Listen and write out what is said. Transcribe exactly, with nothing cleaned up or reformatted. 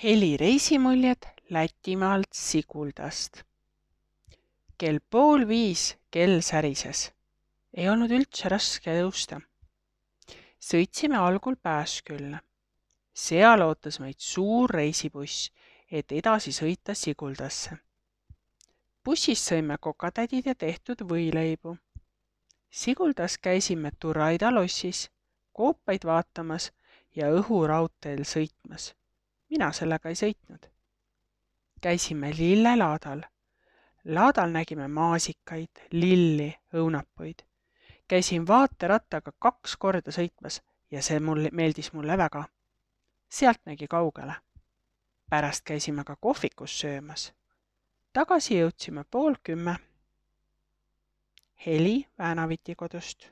Heli reisimuljed Lätimaalt Siguldast. Kell pool viis kell särises. Ei olnud üldse raske tõusta. Sõitsime algul Pääskülla. Seal ootas meid suur reisibuss, et edasi sõita Siguldasse. Bussis sõime kokatädid ja tehtud võileibu. Siguldas käisime Turaida lossis, koopaid vaatamas ja õhurautteel sõitmas. Mina sellega ei sõitnud. Käisime lillelaadal. Laadal nägime maasikaid, lilli, õunapuid. Käisin vaaterattaga kaks korda sõitmas ja see mul meeldis mulle väga. Sealt nägi kaugele. Pärast käisime ka kohvikus söömas. Tagasi jõudsime pool kümme. Heli Väänaviti kodust.